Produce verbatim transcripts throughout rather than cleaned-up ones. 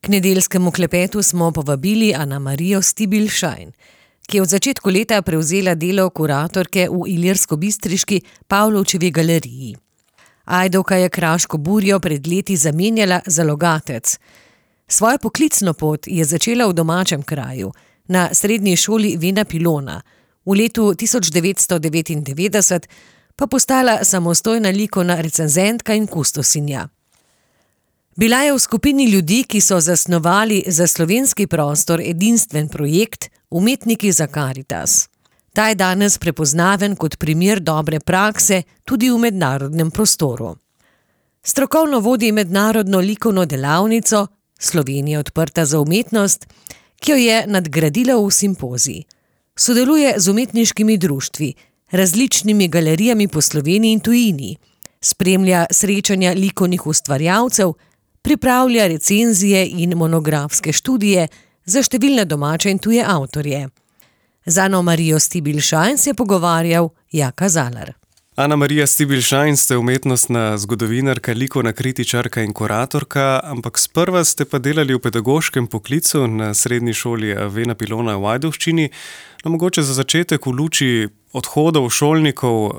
K nedeljskemu klepetu smo povabili Ana-Marijo Stibilj-Šajn, ki je od začetku leta prevzela delo kuratorke v ilirskobistriški Pavlovčevi galeriji. Ajdovka je kraško Burjo pred leti zamenjala za Logatec. Svojo poklicno pot je začela v domačem kraju, na srednji šoli Vena Pilona, v letu tisoč devetsto devetindevetdeset pa postala samostojna likovna recenzentka in kustosinja. Bila je v skupini ljudi, ki so zasnovali za slovenski prostor edinstven projekt Umetniki za Karitas. Ta je danes prepoznaven kot primer dobre prakse tudi v mednarodnem prostoru. Strokovno vodi mednarodno likovno delavnico Slovenija odprta za umetnost, ki jo je nadgradila v simpozij. Sodeluje z umetniškimi društvi, različnimi galerijami po Sloveniji in tujini, spremlja srečanja likovnih ustvarjalcev, pripravlja recenzije in monografske študije za številne domače in tuje avtorje. Z Ano-Marijo Stibilj-Šajn se je pogovarjal Jaka Zalar. Ana-Marija Stibilj-Šajn, ste umetnostna zgodovinarka, likovna kritičarka in kuratorka, ampak sprva ste pa delali v pedagoškem poklicu na srednji šoli Vena Pilona v Ajdovščini. No, mogoče za začetek v luči odhodov šolnikov,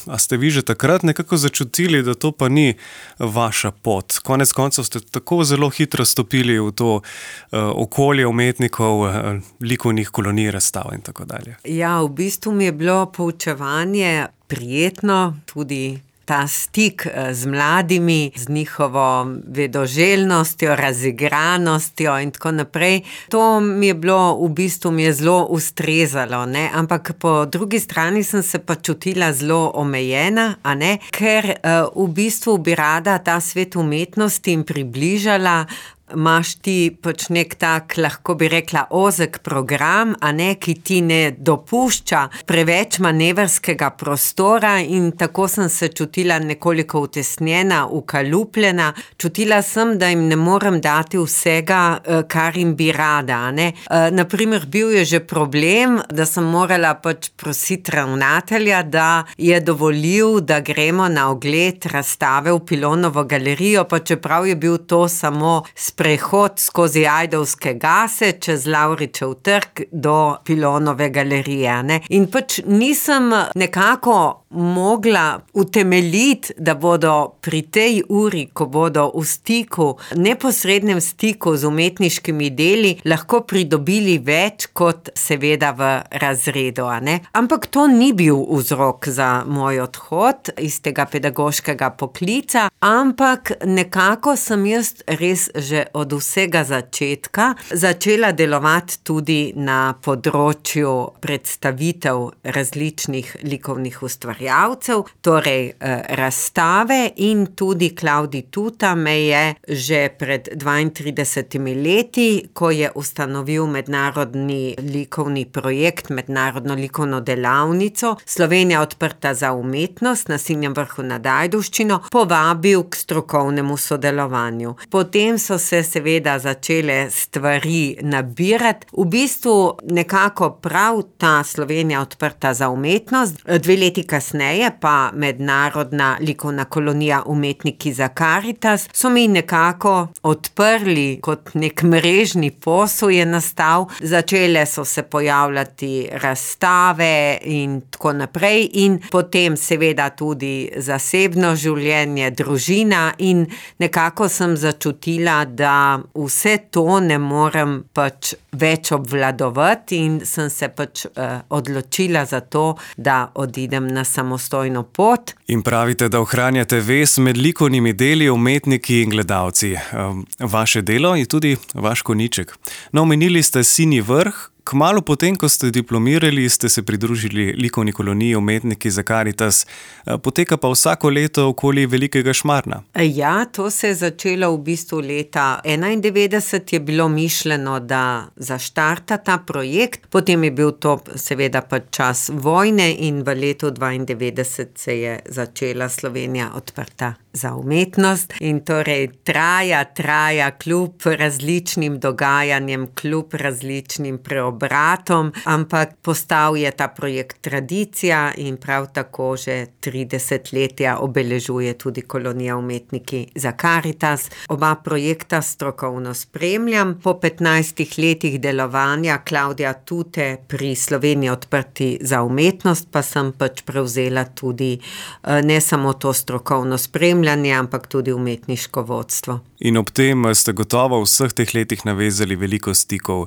a ste vi že takrat nekako začutili, da to pa ni vaša pot? Konec koncev ste tako zelo hitro stopili v to okolje umetnikov, likovnih kolonij, razstav in tako dalje. Ja, v bistvu mi je bilo poučevanje prijetno, tudi ta stik z mladimi, z njihovo vedoželjnostjo, razigranostjo in tako naprej. To mi je bilo, v bistvu mi je zelo ustrezalo, ne? Ampak po drugi strani sem se pa čutila zelo omejena, a ne? Ker uh, v bistvu bi rada ta svet umetnosti in približala. Imaš ti pač nek tak, lahko bi rekla, ozek program, a ne, ki ti ne dopušča preveč manevrskega prostora, in tako sem se čutila nekoliko utesnjena, ukalupljena. Čutila sem, da jim ne morem dati vsega, kar jim bi rada, a ne. Naprimer, bil je že problem, da sem morala pač prositi ravnatelja, da je dovolil, da gremo na ogled razstave v Pilonovo galerijo, pa čeprav je bil to samo prehod skozi Ajdovske gase, čez Lavričev trg do Pilonove galerije, ne. In pač nisem nekako mogla utemeljiti, da bodo pri tej uri, ko bodo v stiku, neposrednem stiku z umetniškimi deli, lahko pridobili več kot seveda v razredu, a ne. Ampak to ni bil vzrok za moj odhod iz tega pedagoškega poklica, ampak nekako sem jaz res že od vsega začetka začela delovati tudi na področju predstavitev različnih likovnih ustvarjalcev, torej eh, razstave, in tudi Klavdij Tuta me je že pred dvaintridesetimi leti, ko je ustanovil mednarodni likovni projekt, mednarodno likovno delavnico Slovenija odprta za umetnost na Sinjem vrhu nad Ajdovščino, povabil k strokovnemu sodelovanju. Potem so se seveda začele stvari nabirati. V bistvu nekako prav ta Slovenija odprta za umetnost, dve leti kasneje pa mednarodna likovna kolonija Umetniki za Karitas, so mi nekako odprli, kot nek mrežni posel je nastal. Začele so se pojavljati razstave in tako naprej, in potem seveda tudi zasebno življenje, družina, in nekako sem začutila, da vse to ne morem pač več obvladovati, in sem se pač eh, odločila za to, da odidem na samostojno pot. In pravite, da ohranjate vez med likovnimi deli, umetniki in gledalci. Vaše delo je tudi vaš konjiček. No, omenili ste Sinji vrh. Kmalu potem, ko ste diplomirali, ste se pridružili likovni koloniji Umetniki za Karitas. Poteka pa vsako leto okoli Velikega Šmarna. Ja, to se je začelo v bistvu leta enaindevetdeset, je bilo mišljeno, da zaštarta ta projekt. Potem je bil to seveda pa čas vojne in v letu dvaindevetdeset se je začela Slovenija odprta za umetnost in torej traja, traja kljub različnim dogajanjem, kljub različnim preobratom, ampak postal je ta projekt tradicija in prav tako že trideset letja obeležuje tudi Kolonija umetniki za Karitas. Oba projekta strokovno spremljam. Po petnajstih letih delovanja Klavdija Tute pri Sloveniji odprti za umetnost pa sem pač prevzela tudi ne samo to strokovno spremljanje, ampak tudi umetniško vodstvo. In ob tem ste gotovo v vseh teh letih navezali veliko stikov.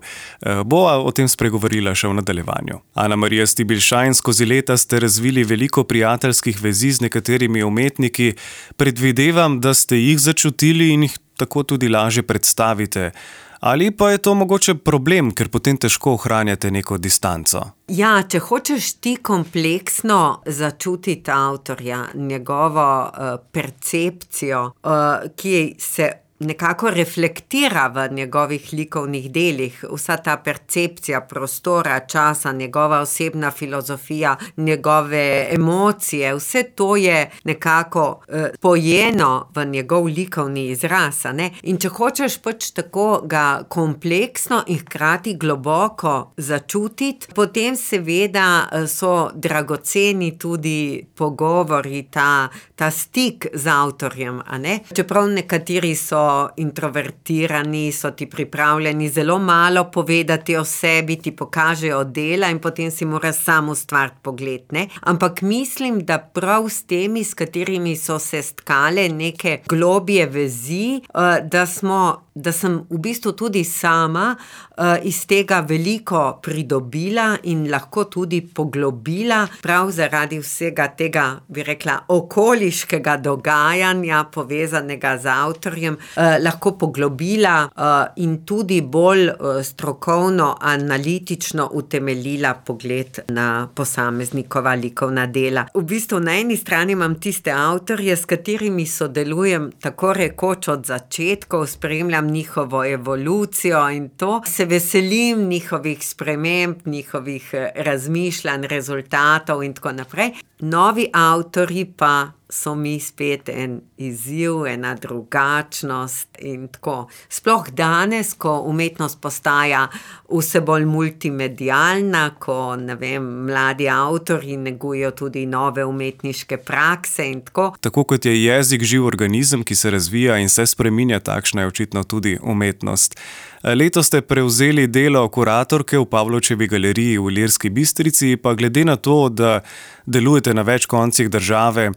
Bova o tem spregovorila še v nadaljevanju. Ana Marija Stibilj Šajn, skozi leta ste razvili veliko prijateljskih vezi z nekaterimi umetniki. Predvidevam, da ste jih začutili in jih tako tudi lažje predstavite. Ali pa je to mogoče problem, ker potem težko ohranjate neko distanco? Ja, če hočeš ti kompleksno začutiti avtorja, njegovo uh, percepcijo, uh, ki se nekako reflektira v njegovih likovnih delih, vsa ta percepcija prostora, časa, njegova osebna filozofija, njegove emocije, vse to je nekako uh, pojeno v njegov likovni izraz, a ne? In če hočeš pač tako ga kompleksno in hkrati globoko začutiti, potem seveda so dragoceni tudi pogovori, ta, ta stik z avtorjem, a ne? Čeprav nekateri so introvertirani, so ti pripravljeni zelo malo povedati o sebi, ti pokažejo dela in potem si moraš sam ustvariti pogled, ne? Ampak mislim, da prav s temi, s katerimi so se stkale neke globje vezi, da smo da sem v bistvu tudi sama uh, iz tega veliko pridobila in lahko tudi poglobila, prav zaradi vsega tega, bi rekla, okoliškega dogajanja, povezanega z avtorjem, uh, lahko poglobila uh, in tudi bolj uh, strokovno, analitično utemeljila pogled na posameznikova likovna dela. V bistvu na eni strani imam tiste avtorje, s katerimi sodelujem tako rekoč od začetkov, spremljam njihovo evolucijo in to. Se veselim njihovih sprememb, njihovih razmišljanj, rezultatov in tako naprej. Novi avtorji pa so mi spet en izziv, ena drugačnost in tako. Sploh danes, ko umetnost postaja vse bolj multimedialna, ko, ne vem, mladi avtorji negujejo tudi nove umetniške prakse in tako. Tako kot je jezik živ organizem, ki se razvija in se spreminja, takšna je očitno tudi umetnost. Letos ste prevzeli delo kuratorke v Pavlovčevi galeriji v Ilirski Bistrici, pa glede na to, da delujete na več koncih države,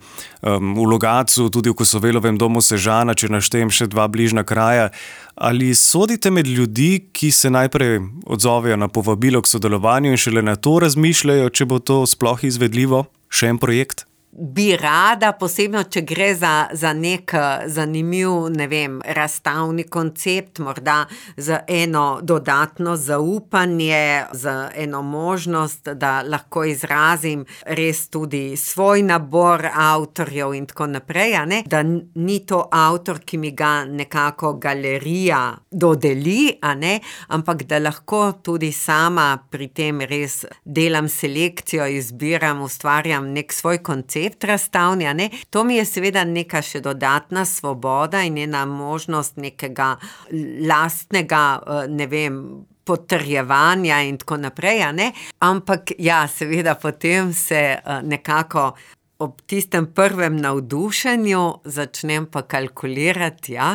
um, v Logatcu, tudi v Kosovelovem domu Sežana, če naštejem še dva bližnja kraja, ali sodite med ljudi, ki se najprej odzovejo na povabilo k sodelovanju in šele na to razmišljajo, če bo to sploh izvedljivo? Še en projekt? Bi rada, posebno, če gre za, za nek zanimiv, ne vem, razstavni koncept, morda za eno dodatno zaupanje, za eno možnost, da lahko izrazim res tudi svoj nabor avtorjev in tako naprej, a ne? Da ni to avtor, ki mi ga nekako galerija dodeli, a ne? Ampak da lahko tudi sama pri tem res delam selekcijo, izbiram, ustvarjam nek svoj koncept razstavni, a ne? To mi je seveda neka še dodatna svoboda in ena možnost nekega lastnega, ne vem, potrjevanja in tako naprej, a ne? Ampak ja, seveda potem se nekako ob tistem prvem navdušenju začnem pa kalkulirati, ja,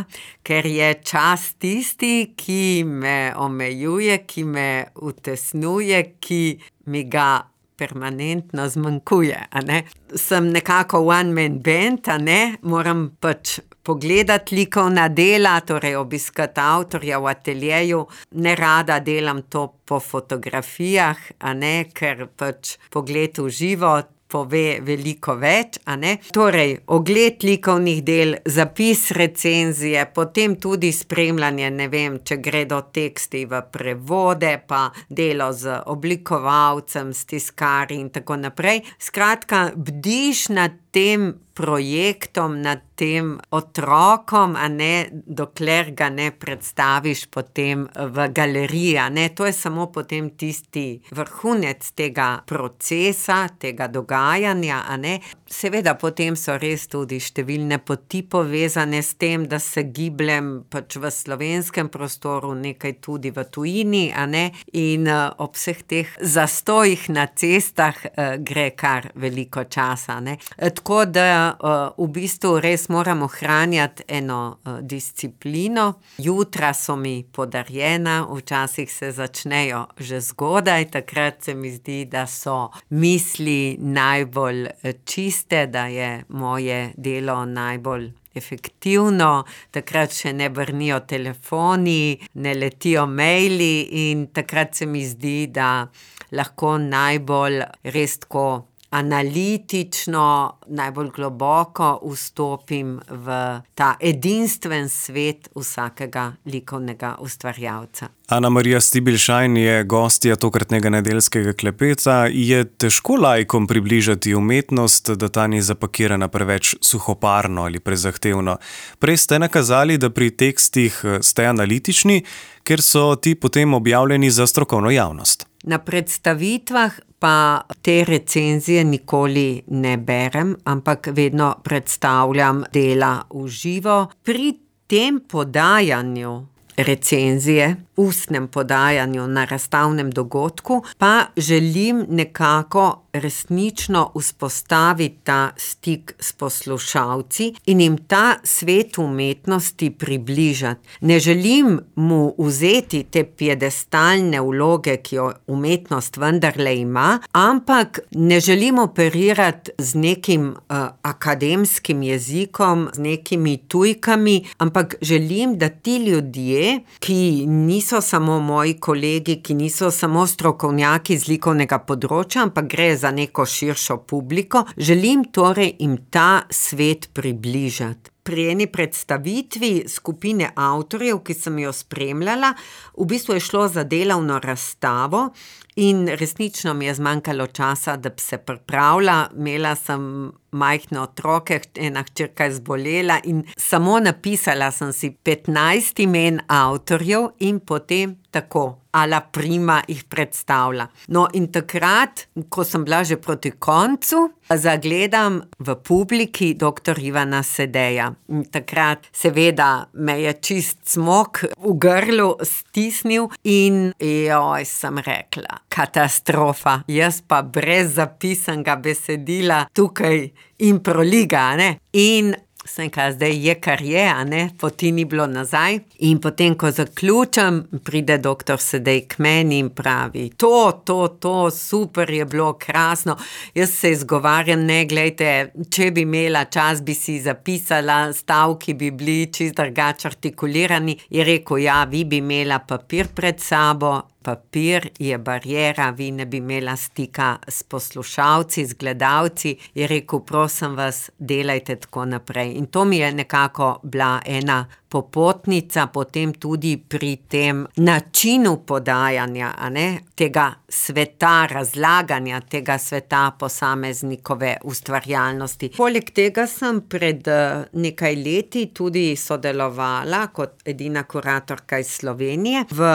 ker je čas tisti, ki me omejuje, ki me utesnjuje, ki mi ga permanentno zmanjkuje, a ne. Sem nekako one man band, a ne, moram pač pogledati likovna dela, torej obiskati avtorja v ateljeju, ne rada delam to po fotografijah, a ne, ker pač pogled v živo pove veliko več, a ne. Torej, ogled likovnih del, zapis recenzije, potem tudi spremljanje, ne vem, če gredo teksti v prevode, pa delo z oblikovalcem, s tiskarji in tako naprej. Skratka, bdiš nad tem projektom, nad tem otrokom, a ne, dokler ga ne predstaviš potem v galeriji, a ne. To je samo potem tisti vrhunec tega procesa, tega dogajanja, a ne. seveda potem so res tudi številne poti povezane s tem, da se gibljem pač v slovenskem prostoru, nekaj tudi v tujini, a ne, in uh, ob vseh teh zastojih na cestah uh, gre kar veliko časa, ne. E, tako da uh, v bistvu res moram ohranjati eno uh, disciplino. Jutra so mi podarjena, včasih se začnejo že zgodaj, takrat se mi zdi, da so misli najbolj čiste, da je moje delo najbolj efektivno, takrat še ne brnijo telefoni, ne letijo maili in takrat se mi zdi, da lahko najbolj res tako analitično, najbolj globoko vstopim v ta edinstven svet vsakega likovnega ustvarjalca. Ana Marija Stibilj Šajn je gostja tokratnega nedeljskega klepeta. Je težko laikom približati umetnost, da ta ni zapakirana preveč suhoparno ali prezahtevno? Prej ste nakazali, da pri tekstih ste analitični, ker so ti potem objavljeni za strokovno javnost. Na predstavitvah pa te recenzije nikoli ne berem, ampak vedno predstavljam dela v živo. Pri tem podajanju recenzije, ustnem podajanju na razstavnem dogodku, pa želim nekako resnično vzpostaviti ta stik s poslušalci in jim ta svet umetnosti približati. Ne želim mu vzeti te piedestalne vloge, ki jo umetnost vendarle ima, ampak ne želim operirati z nekim uh, akademskim jezikom, z nekimi tujkami, ampak želim, da ti ljudje, ki niso samo moji kolegi, ki niso samo strokovnjaki z likovnega področja, ampak gre za neko širšo publiko, želim torej jim ta svet približati. Pri eni predstavitvi skupine avtorjev, ki sem jo spremljala, v bistvu je šlo za delovno razstavo in resnično mi je zmanjkalo časa, da bi se pripravila. Imela sem majhne otroke, ena hčerka je zbolela in samo napisala sem si petnajst imen avtorjev in potem tako a la prima jih predstavila. No, in takrat, ko sem bila že proti koncu, zagledam v publiki doktor Ivana Sedeja. In takrat seveda me je čist cmok v grlu stisnil in joj, sem rekla, katastrofa, jaz pa brez zapisanega besedila tukaj improliga, ne? In sem rekla, zdaj je kar je, a ne, poti ni bilo nazaj. In potem, ko zaključam, pride doktor Sedej k meni in pravi, to, to, to, super je bilo, krasno. Jaz se izgovarjam, ne, glejte, če bi imela čas, bi si zapisala, stavki bi bili čist drugače artikulirani. Je rekel, ja, vi bi imela papir pred sabo, papir je bariera, vi ne bi imela stika s poslušalci, z gledalci. Je rekel, prosim vas, delajte tako naprej. In to mi je nekako bila ena popotnica, potem tudi pri tem načinu podajanja, a ne, tega sveta, razlaganja tega sveta posameznikove ustvarjalnosti. Poleg tega sem pred nekaj leti tudi sodelovala kot edina kuratorka iz Slovenije v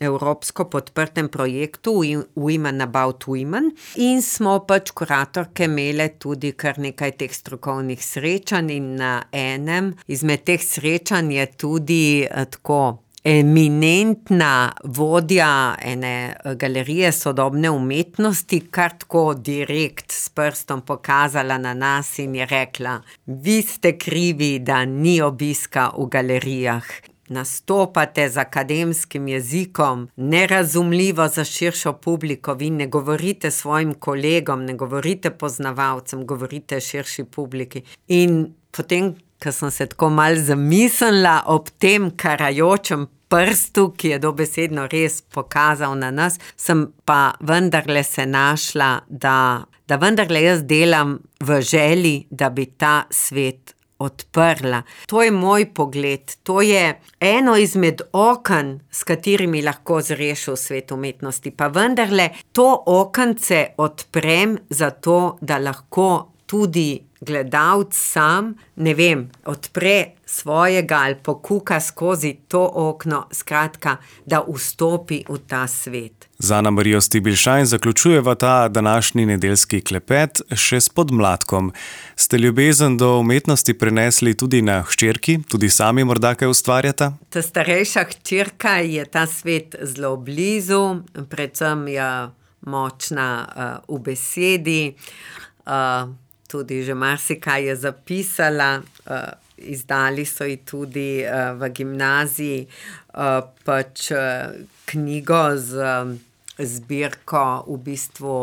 evropsko podprtem projektu Women About Women in smo pač kuratorke imele tudi kar nekaj teh strokovnih srečanj in na enem izmed teh srečanj je tudi tako eminentna vodja ene galerije sodobne umetnosti kar tako direkt s prstom pokazala na nas in je rekla, vi ste krivi, da ni obiska v galerijah. Nastopate z akademskim jezikom, nerazumljivo za širšo publiko, vi ne govorite svojim kolegom, ne govorite poznavalcem, govorite širši publiki. In potem, ko sem se tako malo zamislila ob tem karajočem prstu, ki je dobesedno res pokazal na nas, sem pa vendarle se našla, da, da vendarle jaz delam v želji, da bi ta svet odprla. To je moj pogled, to je eno izmed oken, s katerimi lahko zreš v svet umetnosti, pa vendarle to okence odprem zato, da lahko tudi gledalec sam, ne vem, odpre svojega ali pokuka skozi to okno, skratka, da vstopi v ta svet. Z Ana-Marijo Stibilšajn zaključujeva ta današnji nedeljski klepet še s podmladkom. Ste ljubezen do umetnosti prenesli tudi na hčerki, tudi sami morda kaj ustvarjata? Ta starejša hčerka je ta svet zelo blizu, predvsem je močna uh, v besedi, uh, tudi že marsikaj je zapisala, uh, izdali so ji tudi uh, v gimnaziji uh, pač uh, knjigo z uh, zbirko v bistvu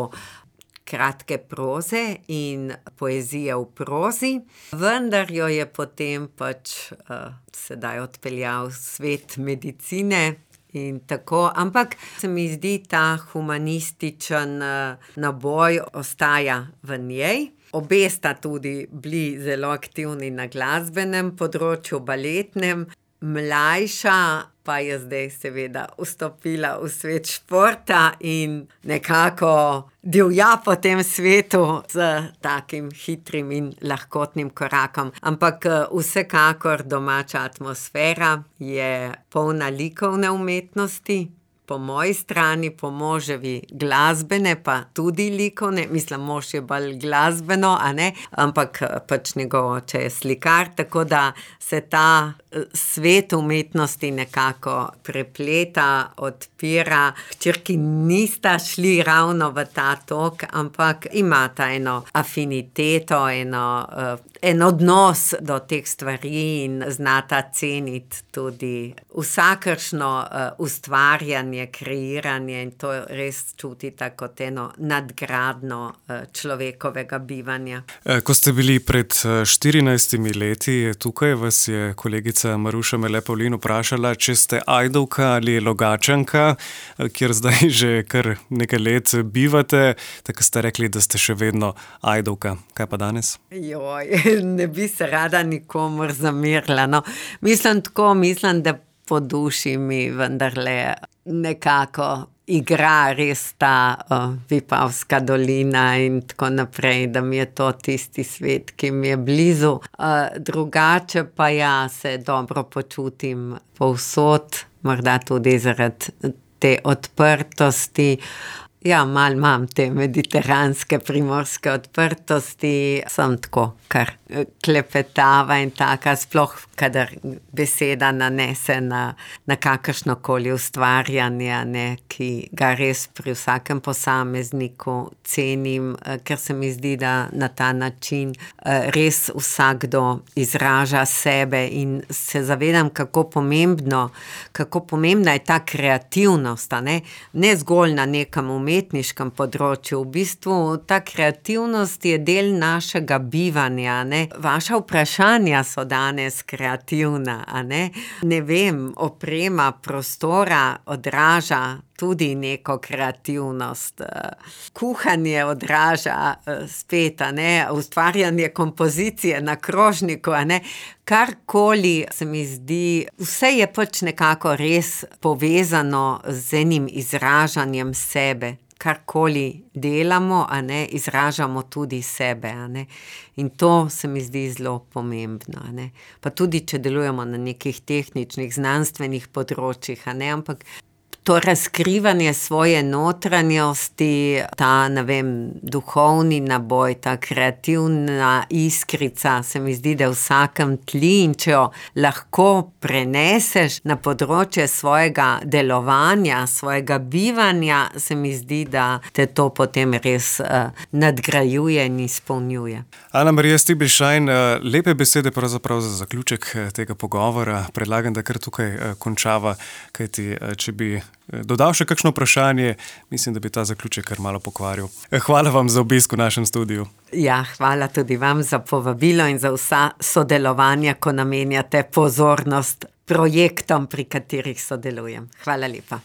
kratke proze in poezije v prozi, vendar jo je potem pač uh, sedaj odpeljal v svet medicine in tako, ampak se mi zdi ta humanističen uh, naboj ostaja v njej. Obe sta tudi bili zelo aktivni na glasbenem področju, baletnem, mlajša pa je zdaj seveda vstopila v svet športa in nekako divja po tem svetu z takim hitrim in lahkotnim korakom. Ampak vsekakor domača atmosfera je polna likovne umetnosti, po moji strani, po moževi glasbene, pa tudi likovne, mislim, mož je bolj glasbeno, a ne, ampak pač njegov oče je slikar, tako da se ta svet umetnosti nekako prepleta, odpira. Hčerki nista šli ravno v ta tok, ampak imata eno afiniteto, eno, en odnos do teh stvari in znata ceniti tudi vsakršno ustvarjanje, kreiranje in to res čutita kot eno nadgradno človekovega bivanja. Ko ste bili pred štirinajstimi leti tukaj, vas je kolegica Maruša Mele Pavlin vprašala, če ste Ajdovka ali Logatčanka, kjer zdaj že kar nekaj let bivate, tako ste rekli, da ste še vedno Ajdovka. Kaj pa danes? Joj, ne bi se rada nikomur zamerila, no. Mislim tako, mislim, da po duši mi vendarle nekako igra res ta uh, Vipavska dolina in tako naprej, da mi je to tisti svet, ki mi je blizu. Uh, drugače pa ja, se dobro počutim povsod, morda tudi zaradi te odprtosti. Ja, malo imam te mediteranske, primorske odprtosti, sem tako kar klepetava in taka, sploh kadar beseda nanese na, na kakršnokoli ustvarjanje, ne, ki ga res pri vsakem posamezniku cenim, ker se mi zdi, da na ta način res vsakdo izraža sebe in se zavedam, kako pomembno, kako pomembna je ta kreativnost, a ne, ne zgolj na nekem umetniškem področju, v bistvu ta kreativnost je del našega bivanja, ne. Vaša vprašanja so danes kreativna, a ne. Ne vem, oprema prostora odraža tudi neko kreativnost. Kuhanje odraža spet, a ne, ustvarjanje kompozicije na krožniku, a ne. Karkoli se mi zdi, vse je pač nekako res povezano z enim izražanjem sebe. Karkoli delamo, a ne, izražamo tudi sebe, a ne. In to se mi zdi zelo pomembno, a ne. Pa tudi, če delujemo na nekih tehničnih, znanstvenih področjih, a ne, ampak to razkrivanje svoje notranjosti, ta, ne vem, duhovni naboj, ta kreativna iskrica, se mi zdi, da v vsakem tli in če jo lahko preneseš na področje svojega delovanja, svojega bivanja, se mi zdi, da te to potem res uh, nadgrajuje in izpolnjuje. Ana-Marija Stibilšajn, lepe besede pravzaprav za zaključek tega pogovora. Predlagam, da kar tukaj končava, kajti če bi dodal še kakšno vprašanje, mislim, da bi ta zaključek kar malo pokvaril. Hvala vam za obisk v našem studiu. Ja, hvala tudi vam za povabilo in za vsa sodelovanja, ko namenjate pozornost projektom, pri katerih sodelujem. Hvala lepa.